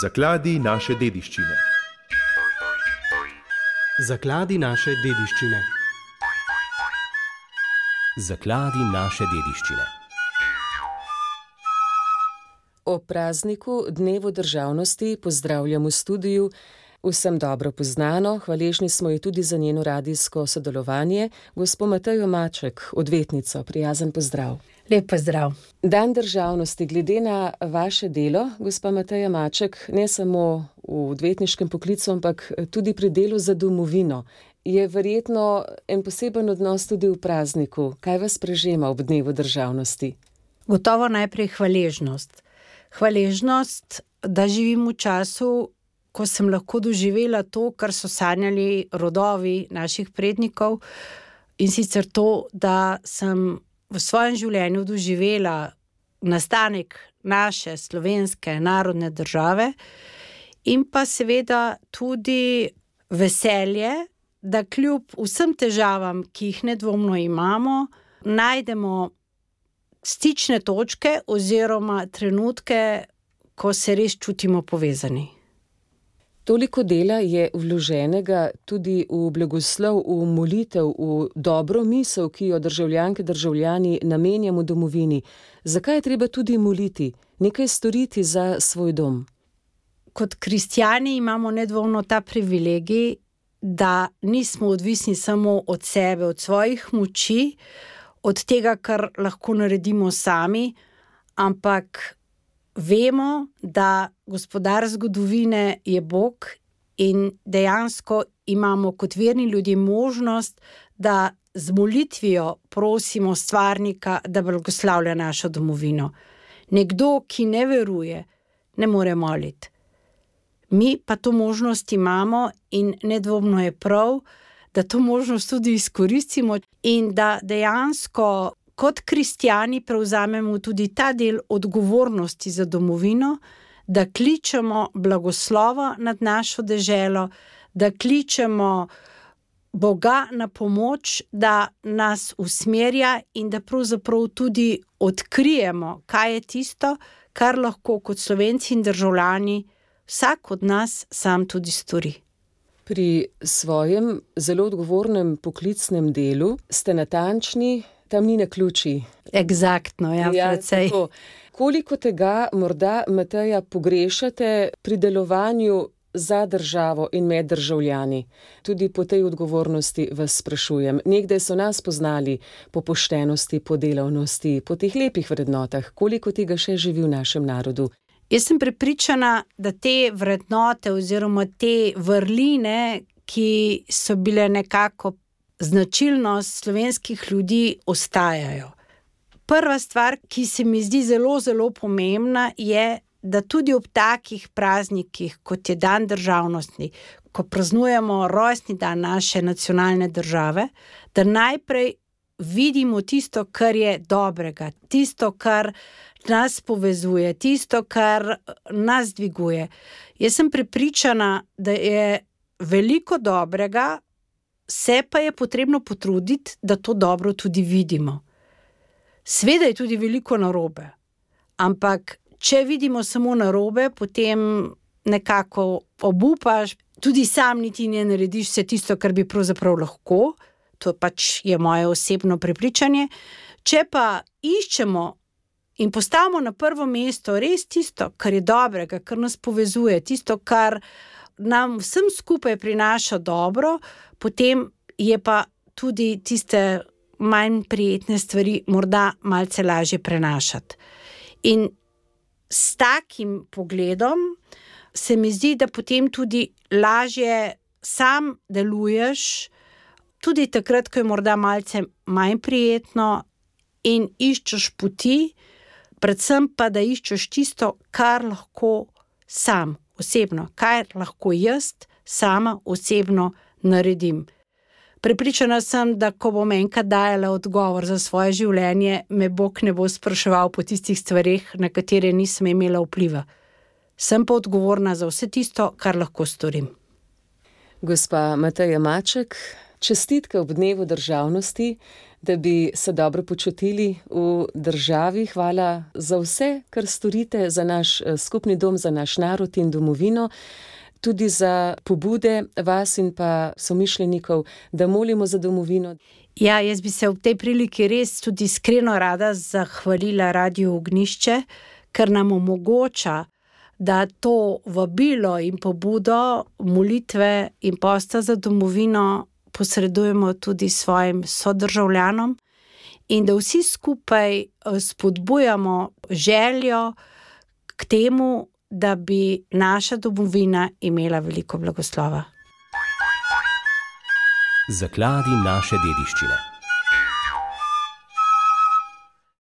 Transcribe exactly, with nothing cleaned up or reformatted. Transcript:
Zakladi naše dediščine. Zakladi naše dediščine. Zakladi naše dediščine. Ob prazniku Dnevu državnosti pozdravljam v studiu vsem dobro poznano, hvaležni smo ji tudi za njeno radijsko sodelovanje, gospo Matejo Maček, odvetnico. Prijazen pozdrav. Lep pozdrav. Dan državnosti, glede na vaše delo, gospa Mateja Maček, ne samo v odvetniškem poklicu, ampak tudi pri delu za domovino, je verjetno en poseben odnos tudi v prazniku. Kaj vas prežema ob Dnevu državnosti? Gotovo najprej hvaležnost. Hvaležnost, da živim v času, ko sem lahko doživela to, kar so sanjali rodovi naših prednikov, in sicer to, da sem v svojem življenju doživela nastanek naše slovenske narodne države in pa seveda tudi veselje, da kljub vsem težavam, ki jih nedvomno imamo, najdemo stične točke oziroma trenutke, ko se res čutimo povezani. Toliko dela je vloženega tudi v blagoslov, v molitev, v dobro misel, ki jo državljanke, državljani namenjamo domovini. Zakaj je treba tudi moliti, nekaj storiti za svoj dom? Kot kristjani imamo nedvomno ta privilegij, da nismo odvisni samo od sebe, od svojih moči, od tega, kar lahko naredimo sami, ampak vemo, da gospodar zgodovine je Bog in dejansko imamo kot verni ljudje možnost, da z molitvijo prosimo stvarnika, da blagoslavlja našo domovino. Nekdo, ki ne veruje, ne more moliti. Mi pa to možnost imamo in nedvomno je prav, da to možnost tudi izkoristimo in da dejansko kot kristjani prevzamemo tudi ta del odgovornosti za domovino, da kličemo blagoslova nad našo deželo, da kličemo Boga na pomoč, da nas usmerja in da pravzaprav tudi odkrijemo, kaj je tisto, kar lahko kot Slovenci in državljani vsak od nas sam tudi stori. Pri svojem zelo odgovornem poklicnem delu ste natančni, tam ni naključij. Eksaktno, ja, ja precej. Tako. Koliko tega morda, Mateja, pogrešate pri delovanju za državo in med državljani? Tudi po tej odgovornosti vas sprašujem. Nekdaj so nas poznali po poštenosti, po delavnosti, po teh lepih vrednotah. Koliko tega še živi v našem narodu? Jaz sem prepričana, da te vrednote oziroma te vrline, ki so bile nekako značilnost slovenskih ljudi, ostajajo. Prva stvar, ki se mi zdi zelo, zelo pomembna, je, da tudi ob takih praznikih, kot je dan državnosti, ko praznujemo rojstni dan naše nacionalne države, da najprej vidimo tisto, kar je dobrega, tisto, kar nas povezuje, tisto, kar nas dviguje. Jaz sem prepričana, da je veliko dobrega, se pa je potrebno potruditi, da to dobro tudi vidimo. Sveda je tudi veliko narobe, ampak če vidimo samo narobe, potem nekako obupaš, tudi sam niti ne narediš vse tisto, kar bi pravzaprav lahko, to pač je moje osebno prepričanje. Če pa iščemo in postavimo na prvo mesto res tisto, kar je dobrega, kar nas povezuje, tisto, kar nam vsem skupaj prinaša dobro, potem je pa tudi tiste manj prijetne stvari morda malce lažje prenašati. In s takim pogledom se mi zdi, da potem tudi lažje sam deluješ, tudi takrat, ko je morda malce manj prijetno in iščeš poti, predvsem pa, da iščeš tisto, kar lahko sam osebno, kar lahko jaz sama osebno naredim. Prepričana sem, da ko bom enkrat dajala odgovor za svoje življenje, me Bog ne bo spraševal po tistih stvareh, na katere nisem imela vpliva. Sem pa odgovorna za vse tisto, kar lahko storim. Gospa Mateja Maček, čestitke ob Dnevu državnosti, da bi se dobro počutili v državi. Hvala za vse, kar storite za naš skupni dom, za naš narod in domovino. Tudi za pobude vas in pa somišljenikov, da molimo za domovino. Ja, jaz bi se v tej priliki res tudi iskreno rada zahvalila Radiu Ognjišče, ker nam omogoča, da to vabilo in pobudo molitve in posta za domovino posredujemo tudi svojim sodržavljanom in da vsi skupaj spodbujamo željo k temu, da bi naša domovina imela veliko blagoslova. Zakladi naše dediščine.